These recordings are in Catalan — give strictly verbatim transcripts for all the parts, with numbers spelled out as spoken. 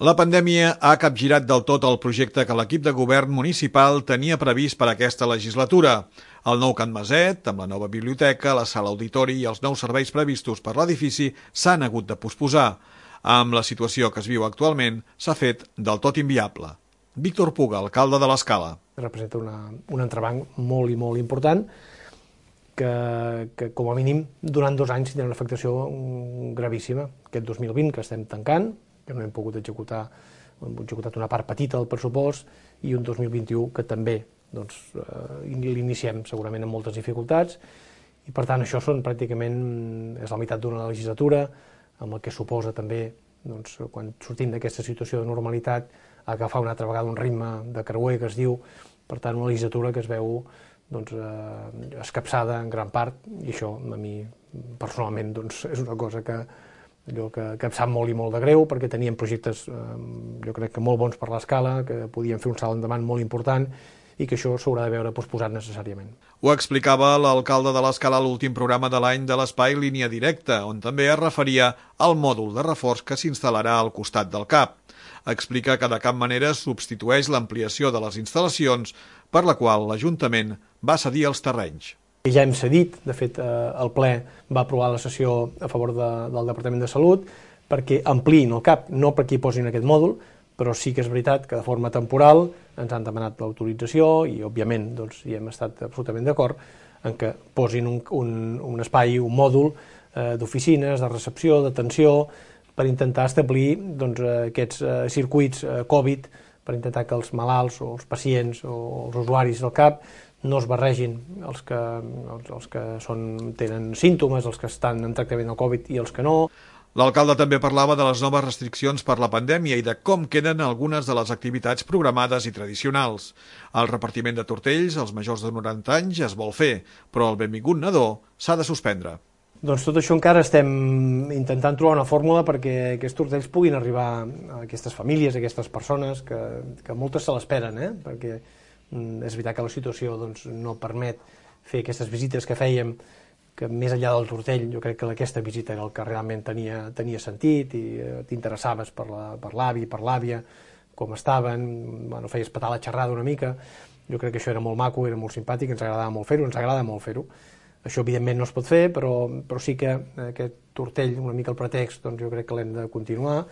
La pandèmia ha capgirat del tot el projecte que l'equip de govern municipal tenia previst per a aquesta legislatura. El nou Can Maset, amb la nova biblioteca, la sala auditori i els nous serveis previstos per l'edifici s'han hagut de posposar. Amb la situació que es viu actualment, s'ha fet del tot inviable. Víctor Puga, alcalde de l'Escala. Representa una, un entrebanc molt i molt important que, que com a mínim, durant dos anys tindrà una afectació gravíssima. Aquest dos mil vint, que estem tancant, que no hem pogut executar, hem executat una part petita del pressupost, i un dos mil vint-i-u que també doncs, eh, l'iniciem segurament amb moltes dificultats, i per tant això són pràcticament, és la meitat d'una legislatura, amb el que suposa també, doncs, quan sortim d'aquesta situació de normalitat, agafar una altra vegada un ritme de creuer que es diu, per tant una legislatura que es veu doncs, eh, escapçada en gran part, i això a mi personalment doncs, és una cosa que allò que, que em sap molt i molt de greu, perquè teníem projectes, eh, jo crec que molt bons per l'Escala, que podien fer un salt endavant molt important, i que això s'haurà de veure posposat necessàriament. Ho explicava l'alcalde de l'Escala a l'últim programa de l'any de l'espai Línia Directa, on també es referia al mòdul de reforç que s'instal·larà al costat del C A P. Explica que de cap manera substitueix l'ampliació de les instal·lacions, per la qual l'Ajuntament va cedir els terrenys. Ja hem cedit, de fet el ple va aprovar la sessió a favor de, del Departament de Salut perquè ampliïn el C A P, no perquè hi posin aquest mòdul, però sí que és veritat que de forma temporal ens han demanat l'autorització i òbviament doncs, hi hem estat absolutament d'acord en que posin un, un, un espai, un mòdul eh, d'oficines, de recepció, d'atenció, per intentar establir doncs, aquests eh, circuits eh, Covid, per intentar que els malalts o els pacients o els usuaris del C A P no es barregin els que, els, els que són, tenen símptomes, els que estan en tractament del Covid i els que no. L'alcalde també parlava de les noves restriccions per la pandèmia i de com queden algunes de les activitats programades i tradicionals. El repartiment de tortells als majors de noranta anys es vol fer, però el benvingut nadó s'ha de suspendre. Doncs tot això encara estem intentant trobar una fórmula perquè aquests tortells puguin arribar a aquestes famílies, a aquestes persones, que, que moltes se l'esperen, eh? Perquè és veritat que la situació doncs, no permet fer aquestes visites que fèiem, que més enllà del tortell jo crec que aquesta visita era el que realment tenia, tenia sentit i eh, t'interessaves per l'avi, per l'àvia, com estaven, bueno, feies petar la xerrada una mica. Jo crec que això era molt maco, era molt simpàtic, ens agradava molt fer-ho, ens agrada molt fer-ho. Això evidentment no es pot fer, però, però sí que aquest tortell, una mica el pretext, doncs jo crec que l'hem de continuar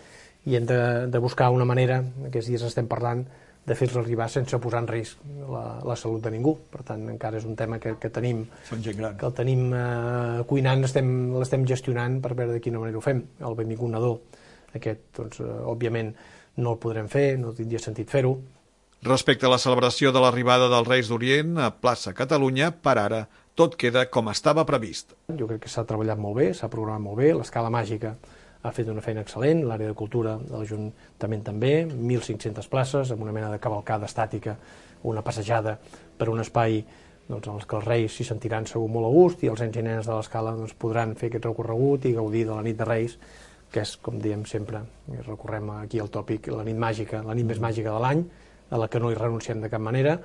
i hem de, de buscar una manera, aquests dies estem parlant, de fer-los arribar sense posar en risc la, la salut de ningú. Per tant, encara és un tema que, que tenim, que el tenim eh, cuinant, l'estem gestionant per veure de quina manera ho fem. El benvingut nadó, aquest, doncs, eh, òbviament, no el podrem fer, no tindria sentit fer-ho. Respecte a la celebració de l'arribada dels Reis d'Orient a Plaça Catalunya, per ara, tot queda com estava previst. Jo crec que s'ha treballat molt bé, s'ha programat molt bé, l'Escala Màgica ha fet una feina excel·lent, l'àrea de cultura de l'Ajuntament també, mil cinc-centes places, amb una mena de cavalcada estàtica, una passejada per un espai doncs, en què els Reis s'hi sentiran segur molt a gust i els nens i nenes de l'Escala doncs, podran fer aquest recorregut i gaudir de la nit de Reis, que és, com diem sempre, recorrem aquí al tòpic, la nit màgica, la nit més màgica de l'any, a la que no hi renunciem de cap manera.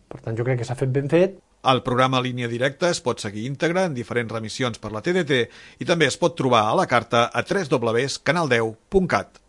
Per tant, jo crec que s'ha fet ben fet. El programa Línia Directa es pot seguir íntegre en diferents remissions per la T D T i també es pot trobar a la carta a w w w punt canal deu punt cat.